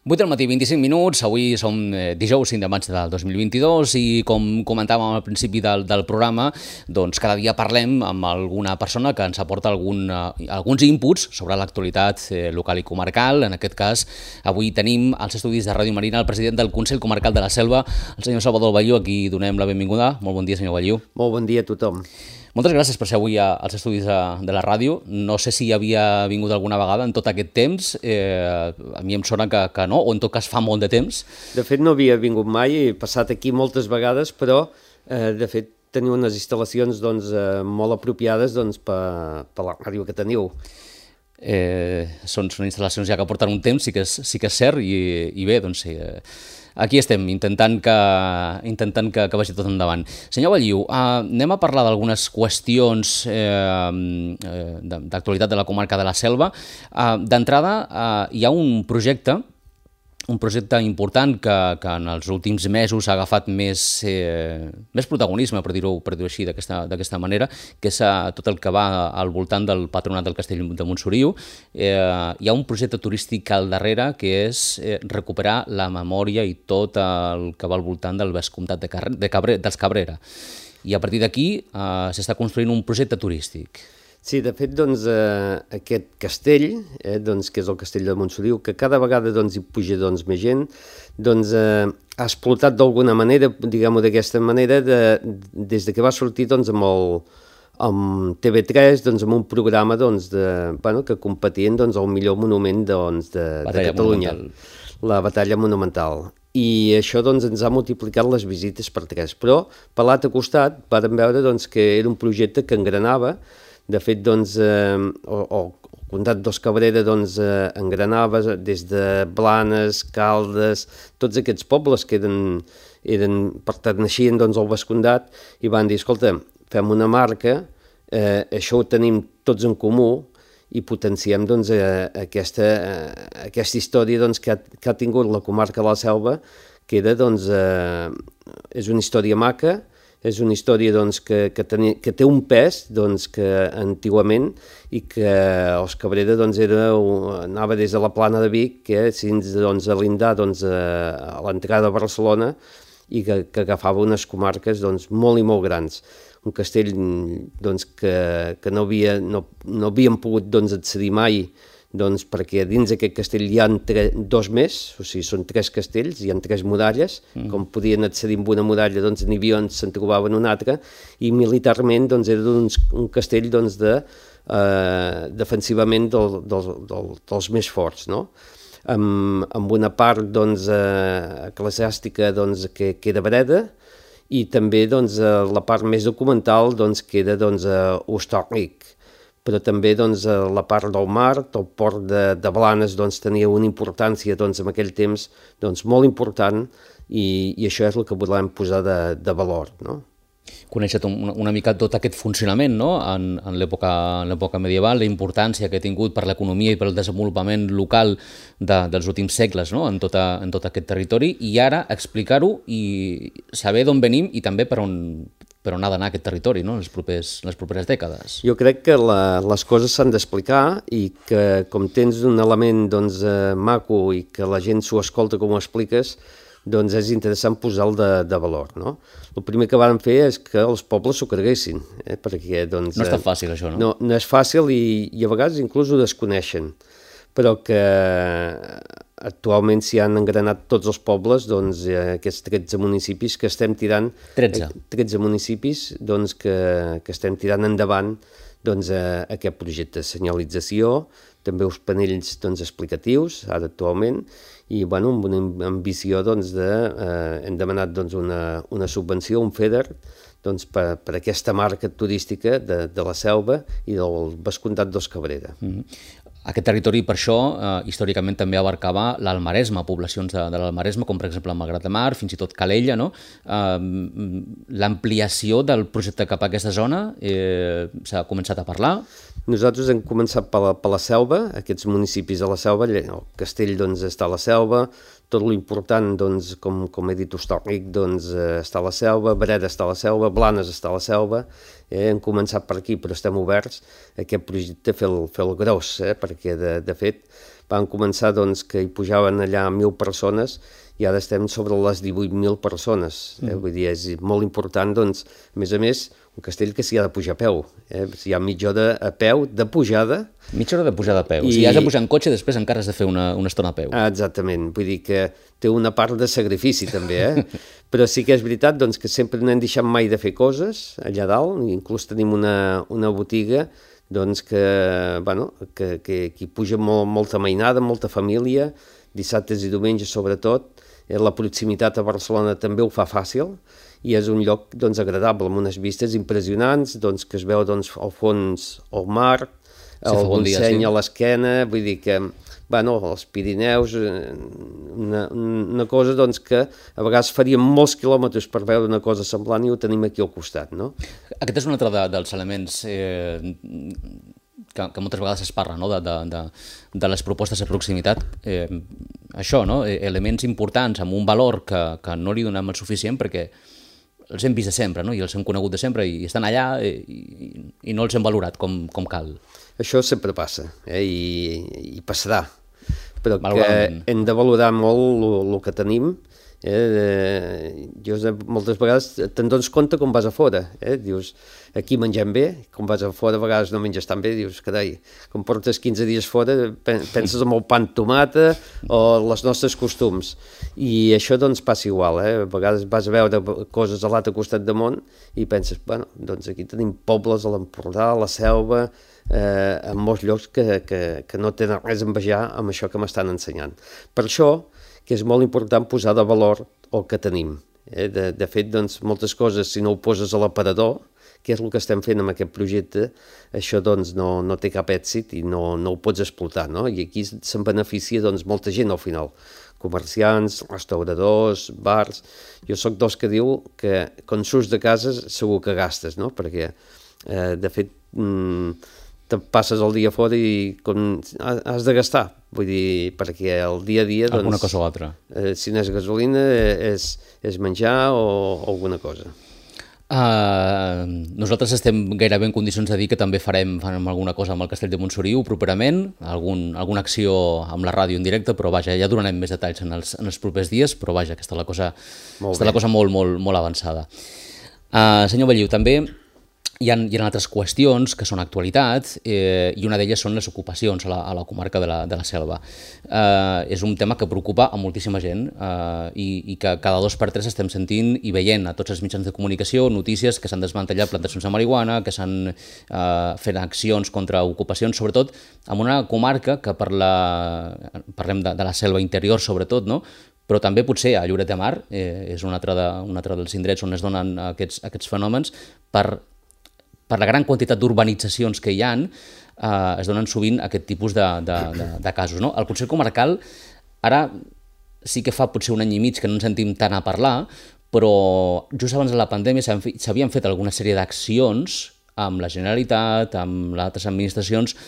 8 del matí, 25 minuts, avui som dijous 5 de maig del 2022 i com comentàvem al principi del programa, doncs cada dia parlem amb alguna persona que ens aporta alguns inputs sobre l'actualitat local i comarcal. En aquest cas, avui tenim als estudis de Ràdio Marina el president del Consell Comarcal de la Selva, el senyor Salvador Ballú, a qui donem la benvinguda. Molt bon dia, senyor Ballú. Molt bon dia a tothom. Moltes gràcies per ser avui als estudis de la ràdio. No sé si havia vingut alguna vegada en tot aquest temps. A mi em sona que no, o en tot cas fa molt de temps. De fet, no havia vingut mai, he passat aquí moltes vegades, però de fet teniu unes instal·lacions molt apropiades per la ràdio que teniu. Són instal·lacions ja que porten un temps, sí que és cert, i bé, doncs sí, aquí estem, intentant que vagi tot endavant. Senyor Ballú, anem a parlar d'algunes qüestions d'actualitat de la comarca de la Selva. D'entrada, hi ha un projecte important que en els últims mesos ha agafat més protagonisme, per dir-ho així, d'aquesta manera, que és tot el que va al voltant del Patronat del Castell de Montsoriu. Hi ha un projecte turístic al darrere que és recuperar la memòria i tot el que va al voltant del vescomtat dels Cabrera. I a partir d'aquí s'està construint un projecte turístic. Sí, de fet, aquest castell, que és el castell de Montsoriu, que cada vegada hi puja més gent, ha explotat d'alguna manera, diguem-ho d'aquesta manera, des de que va sortir amb TV3, amb un programa que competien al millor monument de Catalunya, la Batalla Monumental. I això ens ha multiplicat les visites per 3. Però, per l'altre costat, vam veure que era un projecte que engranava. De fet, el comtat dels Cabrera engranava des de Blanes, Caldes, tots aquests pobles que pertaneixien al vescomtat i van dir, escolta, fem una marca, això ho tenim tots en comú i potenciem aquesta història que ha tingut la comarca de la Selva, que és una història maca, és una història que té un pes que antigament i que els Cabrera anava des de la Plana de Vic fins a Lindar a l'entrada de Barcelona i que agafava unes comarques molt i molt grans. Un castell que no havíem pogut accedir mai perquè dins d'aquest castell hi ha 2 més, o sigui, són 3 castells, hi ha 3 muralles, com podien accedir amb una muralla, n'hi havia on se'n trobaven una altra, i militarment era un castell defensivament dels més forts, no? Amb una part eclesiàstica que era Breda, i també la part més documental que era Hostalric. Però també la part del mar, el port de Blanes tenia una importància en aquell temps molt important i això és el que volem posar de valor, no? Conèixer una mica tot aquest funcionament, no? En l'època medieval, la importància que ha tingut per l'economia i per el desenvolupament local dels últims segles, no? en tot aquest territori, i ara explicar-ho i saber d'on venim i també per on ha d'anar aquest territori, no? en les properes dècades. Jo crec que les coses s'han d'explicar i que com tens un element maco i que la gent s'ho escolta com ho expliques, és interessant posar-lo de valor, no? El primer que van fer és que els pobles s'ho creguessin, perquè no està fàcil, això, no? No és fàcil i a vegades inclús ho desconeixen, però que actualment s'hi han engranat tots els pobles, aquests 13 municipis que estem tirant... 13 municipis que estem tirant endavant aquest projecte de senyalització, també uns panells explicatius, ara actualment, i amb una ambició hem demanat una subvenció, un FEDER, per aquesta marca turística de la Selva i del vescomtat dels Cabrera. Aquest territori, per això, històricament també abarcava l'Almaresme, poblacions de l'Almaresme, com per exemple Malgrat de Mar, fins i tot Calella, no? L'ampliació del projecte cap a aquesta zona s'ha començat a parlar? Nosaltres hem començat per la Selva, aquests municipis de la Selva, el castell està a la Selva, tot l'important, com he dit, Hostalric està a la Selva, Breda està a la Selva, Blanes està a la Selva, hem començat per aquí, però estem oberts a aquest projecte fer el gros, perquè de fet van començar doncs, que hi pujaven allà 1.000 persones i ara estem sobre les 18.000 persones. Vull dir, és molt important, doncs, a més, un castell que s'hi ha de pujar a peu. Hi ha mitja hora a peu de pujada. Mitja hora de pujada a peu. Si has de pujar en cotxe, després encara has de fer una estona a peu. Exactament. Vull dir que té una part de sacrifici, també, Però sí que és veritat doncs, que sempre no hem deixat mai de fer coses allà dalt. Inclús tenim una botiga doncs, que hi puja molta mainada, molta família, dissabtes i diumenges sobretot. La proximitat a Barcelona també ho fa fàcil i és un lloc doncs, agradable, amb unes vistes impressionants, doncs, que es veu doncs, al fons el mar, el Montseny a l'esquena, vull dir que els Pirineus, una cosa doncs, que a vegades faríem molts quilòmetres per veure una cosa semblant i ho tenim aquí al costat. No? Aquest és un altre dels elements que moltes vegades es parla, no? de les propostes de proximitat. Això, no? Elements importants amb un valor que no li donem el suficient perquè els hem vist de sempre, no? I els hem conegut de sempre i estan allà i no els hem valorat com cal. Això sempre passa i passarà, però que hem de valorar molt el que tenim. Jo moltes vegades te'n dones compte quan vas a fora, dius, aquí mengem bé, quan vas a fora a vegades no menges tan bé, dius, carai, quan portes 15 dies fora penses en el pa amb tomata o els nostres costums, i això doncs passa igual, a vegades vas a veure coses a l'altre costat del món i penses, doncs aquí tenim pobles a l'Empordà, a la Selva, en molts llocs que no tenen res a envejar amb això que m'estan ensenyant. Per això que és molt important posar de valor el que tenim. De fet, doncs, moltes coses, si no ho poses a l'aparador, que és el que estem fent amb aquest projecte, això doncs, no té cap èxit i no ho pots explotar. No? I aquí se'n beneficia doncs, molta gent al final. Comerciants, restauradors, bars. Jo sóc dels que diu que quan surts de casa segur que gastes, no? Perquè, de fet, te passes el dia fora i has de gastar, vull dir, perquè el dia a dia... Alguna cosa o altra. Si no és gasolina, és menjar o alguna cosa. Nosaltres estem gairebé en condicions de dir que també farem alguna cosa amb el Castell de Montsoriu properament, alguna acció amb la ràdio en directe, però vaja, ja donarem més detalls en els propers dies, però vaja, que està la cosa molt, molt, molt avançada. Senyor Belliu, també hi ha altres qüestions que són actualitat i una d'elles són les ocupacions a la comarca de la Selva. És un tema que preocupa a moltíssima gent i que cada 2 per 3 estem sentint i veient a tots els mitjans de comunicació notícies que s'han desmantellat plantacions de marihuana, que s'han fet accions contra ocupacions, sobretot en una comarca que parlem de la Selva interior sobretot, no? Però també potser a Lloret de Mar és un altre dels indrets on es donen aquests fenòmens per la gran quantitat d'urbanitzacions que hi ha, es donen sovint aquest tipus de casos. No? El Consell Comarcal ara sí que fa potser un any i mig que no ens sentim tant a parlar, però just abans de la pandèmia s'havien fet alguna sèrie d'accions amb la Generalitat, amb les altres administracions,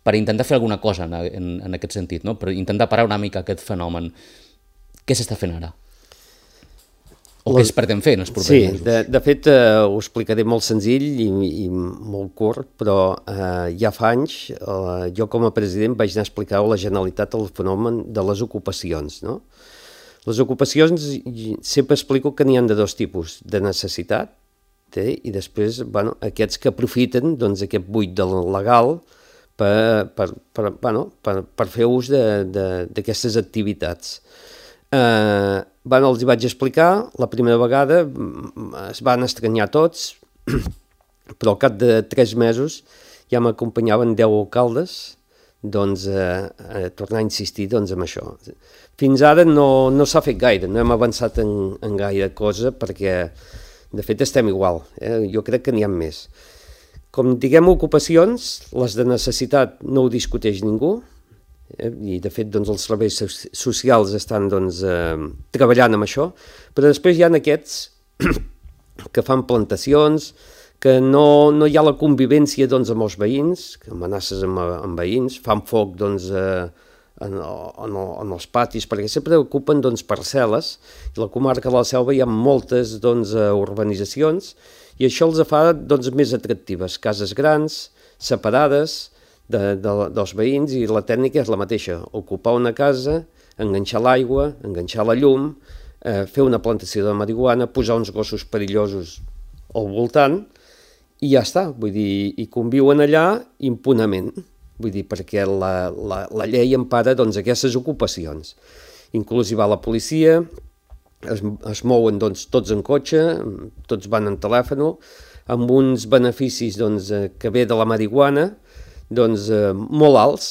per intentar fer alguna cosa en aquest sentit, no? Per intentar parar una mica aquest fenomen. Què s'està fent ara? O què es pretén fer en els propers mesos? Sí, de fet ho explicaré molt senzill i molt curt, però ja fa anys jo com a president vaig anar a explicar a la Generalitat el fenomen de les ocupacions. No? Les ocupacions sempre explico que n'hi ha de 2 tipus, de necessitat i després aquests que aprofiten aquest buit legal per fer ús d'aquestes activitats. Els hi vaig explicar, la primera vegada es van estranyar tots, però al cap de 3 mesos ja m'acompanyaven 10 alcaldes a tornar a insistir en això. Fins ara no s'ha fet gaire, no hem avançat en gaire cosa perquè de fet estem igual, jo crec que n'hi ha més. Com diguem ocupacions, les de necessitat no ho discuteix ningú, i de fet els serveis socials estan treballant amb això, però després hi ha aquests que fan plantacions, que no hi ha la convivència amb els veïns, que amenaces amb veïns, fan foc en els patis, perquè sempre ocupen parcel·les, i a la comarca de la Selva hi ha moltes urbanitzacions, i això els fa més atractives, cases grans, separades, dels veïns, i la tècnica és la mateixa, ocupar una casa, enganxar l'aigua, enganxar la llum, fer una plantació de marihuana, posar uns gossos perillosos al voltant, i ja està, vull dir, i conviuen allà impunament, vull dir, perquè la llei empara doncs, aquestes ocupacions. Inclús hi va la policia, es mouen doncs, tots en cotxe, tots van en telèfon, amb uns beneficis doncs, que ve de la marihuana doncs, molt alts,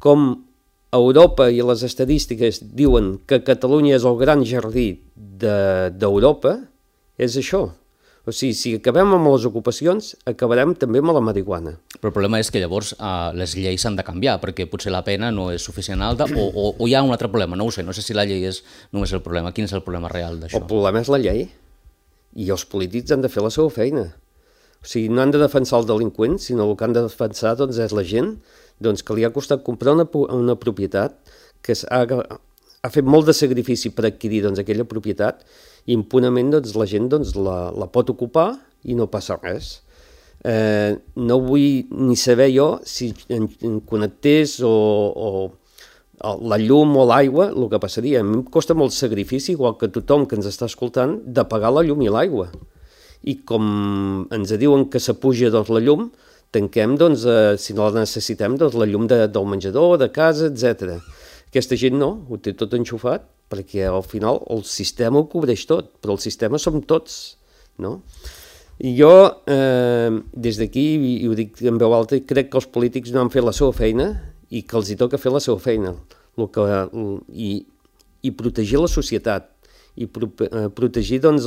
com a Europa i les estadístiques diuen que Catalunya és el gran jardí d'Europa, és això. O sigui, si acabem amb les ocupacions, acabarem també amb la marihuana. Però el problema és que llavors les lleis s'han de canviar, perquè potser la pena no és suficient alta, o hi ha un altre problema, no ho sé, no sé si la llei és només el problema. Quin és el problema real d'això? El problema és la llei, i els polítics han de fer la seva feina. O sigui, no han de defensar el delinqüent, sinó el que han de defensar doncs, és la gent doncs, que li ha costat comprar una propietat, que ha fet molt de sacrifici per adquirir doncs, aquella propietat, i impunament doncs, la gent doncs, la pot ocupar i no passa res. No vull ni saber jo si en connectés o la llum o l'aigua, el que passaria. A mi em costa molt sacrifici, igual que tothom que ens està escoltant, de pagar la llum i l'aigua. I com ens diuen que s'apuja doncs, la llum, tanquem, doncs, si no la necessitem, doncs, la llum del menjador, de casa, etc. Aquesta gent no, ho té tot enxufat, perquè al final el sistema ho cobreix tot, però el sistema som tots, no? I jo, des d'aquí, i ho dic en veu alta, crec que els polítics no han fet la seva feina i que els hi toca fer la seva feina, i protegir la societat, i protegir doncs,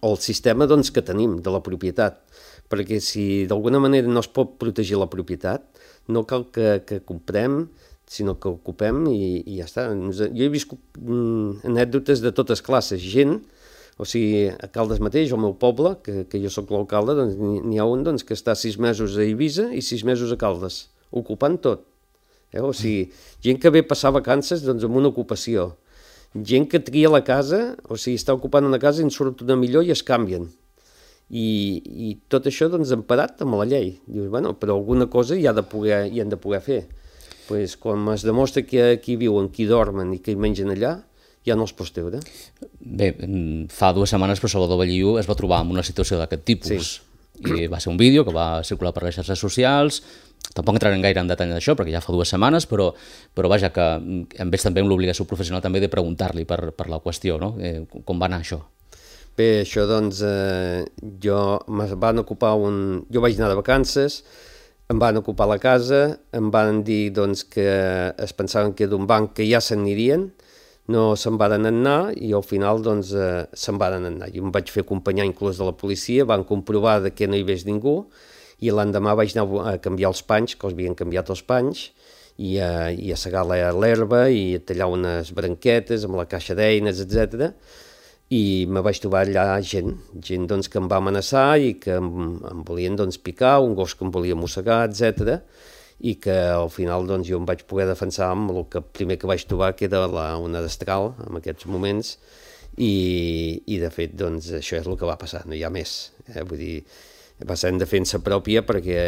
el sistema doncs, que tenim de la propietat, perquè si d'alguna manera no es pot protegir la propietat, no cal que comprem, sinó que ocupem i ja està. Jo he viscut anècdotes de totes classes, gent, o sigui, a Caldes mateix, al meu poble, que jo sóc l'alcalde, doncs n'hi ha un doncs, que està 6 mesos a Eivissa i 6 mesos a Caldes, ocupant tot. O sigui, gent que ve a passar vacances doncs, amb una ocupació, gent que tria la casa, o sigui, està ocupant una casa i en surt una millor i es canvien. I tot això doncs, emparat amb la llei. Dius, bueno, però alguna cosa hi han de poder fer. Pues, quan es demostra que aquí viuen, qui dormen i qui mengen allà, ja no els pots treure. Bé, fa 2 setmanes el Salvador Balliu es va trobar en una situació d'aquest tipus. Sí. I va ser un vídeo que va circular per les xarxes socials. Tampoc entrarem gaire en detall d'això, perquè ja fa 2 setmanes, però vaja, que hem vist també amb l'obligació professional també de preguntar-li per la qüestió, no? Com va anar això? Bé, això doncs, jo vaig anar de vacances, em van ocupar la casa, em van dir doncs, que es pensaven que d'un banc que ja se'n anirien, no se'n van anar i al final doncs, se'n van anar. Jo em vaig fer acompanyar inclús de la policia, van comprovar que no hi hagués ningú i l'endemà vaig anar a canviar els panys, que els havien canviat els panys, i a segar l'herba i a tallar unes branquetes amb la caixa d'eines, etc. I me vaig trobar allà gent doncs, que em va amenaçar i que em volien doncs, picar, un gos que em volia mossegar, etc. I que al final doncs, jo em vaig poder defensar amb el que primer que vaig trobar, que era una destral en aquests moments, i de fet doncs, això és el que va passar, no hi ha més. Vull dir, va ser en defensa pròpia perquè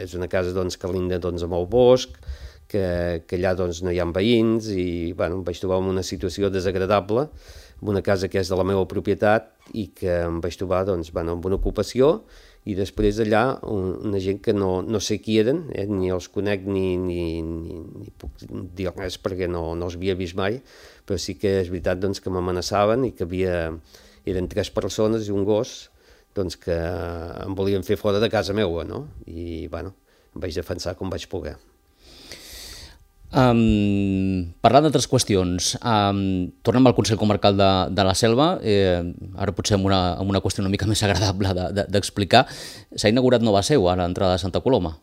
és una casa doncs, que linda doncs, amb el bosc, que allà doncs, no hi ha veïns i bueno, em vaig trobar en una situació desagradable, en una casa que és de la meva propietat i que em vaig trobar doncs, bueno, amb una ocupació i després allà una gent que no sé qui eren, ni els conec ni puc dir res perquè no els havia vist mai, però sí que és veritat doncs, que m'amenaçaven i que eren 3 persones i un gos doncs, que em volien fer fora de casa meva, no? I bueno, em vaig defensar com vaig poder. Parlant d'altres qüestions, tornem al Consell Comarcal de la Selva, ara potser amb una qüestió una mica més agradable d'explicar. S'ha inaugurat nova seu a l'entrada de Santa Coloma.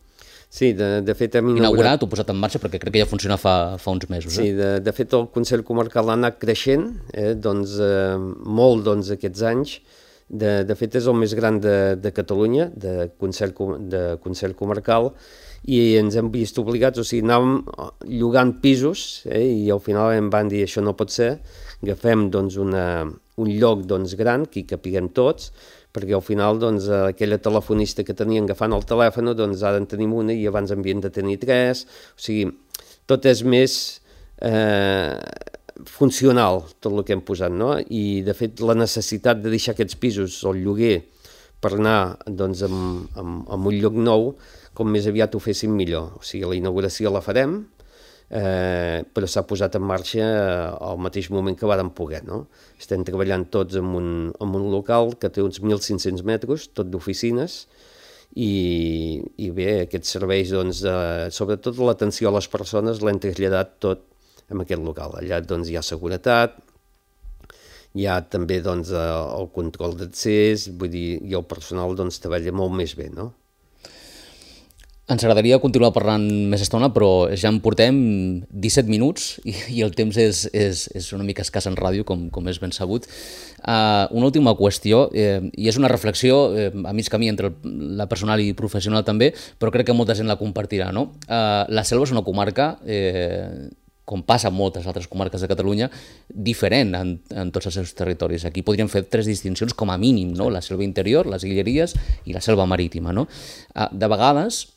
Sí, de fet hem inaugurat o posat en marxa perquè crec que ja funciona fa uns mesos. Sí, de fet el Consell Comarcal ha anat creixent doncs, molt doncs, aquests anys. De fet és el més gran de Catalunya, de Consell Comarcal, i ens hem vist obligats, o sigui, anàvem llogant pisos i al final em van dir això no pot ser, agafem doncs, un lloc doncs, gran que hi capiguem tots, perquè al final doncs, aquella telefonista que tenien agafant el telèfon, doncs ara en tenim una i abans havien de tenir 3, o sigui, tot és més funcional, tot el que hem posat, no? I de fet la necessitat de deixar aquests pisos al lloguer per anar doncs, a un lloc nou, com més aviat ho féssim millor. O sigui, la inauguració la farem, però s'ha posat en marxa al mateix moment que vàrem poder, no? Estem treballant tots en un local que té uns 1.500 metres, tot d'oficines, i bé, aquests serveis, doncs, sobretot l'atenció a les persones l'hem traslladat tot en aquest local. Allà doncs, hi ha seguretat, hi ha també doncs, el control d'accés, vull dir, i el personal doncs, treballa molt més bé, no? Ens agradaria continuar parlant més estona, però ja en portem 17 minuts i el temps és una mica escàs en ràdio, com és ben sabut. Una última qüestió, i és una reflexió a mig camí entre la personal i professional també, però crec que molta gent la compartirà, no? La Selva és una comarca, com passa en moltes altres comarques de Catalunya, diferent en tots els seus territoris. Aquí podríem fer 3 distincions com a mínim, no? La selva interior, les Guilleries i la selva marítima, no? De vegades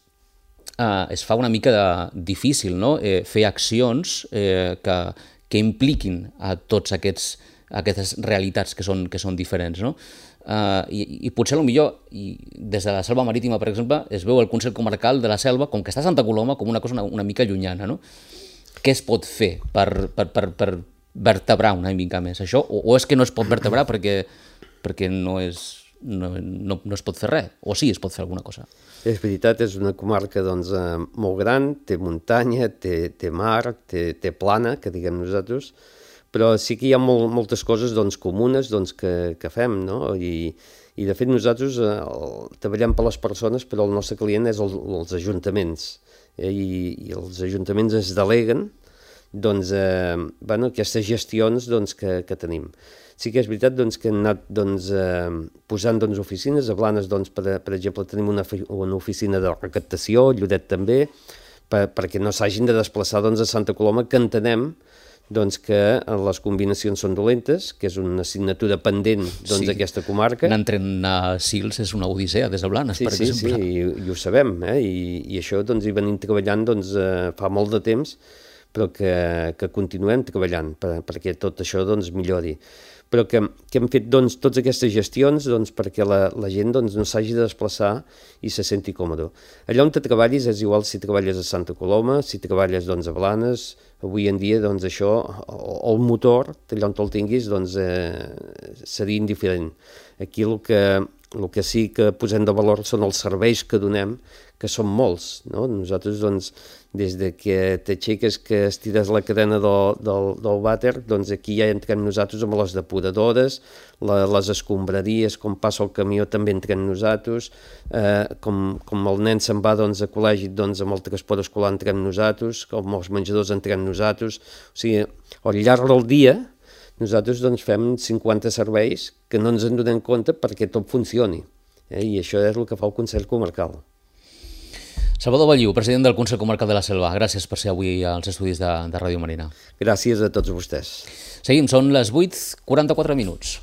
es fa una mica difícil, no? Fer accions que impliquin a tots aquestes realitats que són diferents, no? I potser millor des de la selva marítima, per exemple, es veu el Consell Comarcal de la Selva, com que està a Santa Coloma, com una cosa una mica llunyana, no? Què es pot fer per vertebrar una mica més això? O és que no es pot vertebrar perquè no es pot fer res? O sí es pot fer alguna cosa? És veritat, és una comarca doncs, molt gran, té muntanya, té mar, té plana, que diguem nosaltres, però sí que hi ha moltes coses doncs, comunes doncs, que fem, no? I de fet nosaltres treballem per les persones, però el nostre client és els ajuntaments, i els ajuntaments es deleguen doncs, aquestes gestions doncs, que tenim. Sí que és veritat doncs, que hem anat doncs, posant doncs, oficines. A Blanes, doncs, per exemple, tenim una oficina de recaptació, Lloret també, perquè no s'hagin de desplaçar doncs, a Santa Coloma, que entenem doncs, que les combinacions són dolentes, que és una assignatura pendent d'aquesta comarca. Anar entrant a Sils és una odissea des de Blanes, per exemple. Sí, i ho sabem, i això doncs, hi venim treballant doncs, fa molt de temps, però que continuem treballant perquè tot això doncs, millori. Però que hem fet doncs, totes aquestes gestions doncs, perquè la gent doncs, no s'hagi de desplaçar i se senti còmode. Allà on te treballis és igual si treballes a Santa Coloma, si treballes doncs, a Blanes. Avui en dia doncs, això, el motor, allà on te'l tinguis, doncs, seria indiferent. Aquí el que sí que posem de valor són els serveis que donem, que són molts, no? Nosaltres, doncs, des de que t'aixeques, que estires la cadena del vàter, doncs aquí ja entrem nosaltres amb les depuradores, les escombraries, com passa el camió també entrem nosaltres, com el nen se'n va doncs, a col·legi doncs, amb el transport escolar entrem nosaltres, com els menjadors entrem nosaltres, o sigui, al llarg del dia nosaltres doncs, fem 50 serveis que no ens en donem compte perquè tot funcioni, i això és el que fa el Consell Comarcal. Salvador Balliu, president del Consell Comarcal de la Selva, gràcies per ser avui als estudis de Ràdio Marina. Gràcies a tots vostès. Seguim, són les 8:44 minuts.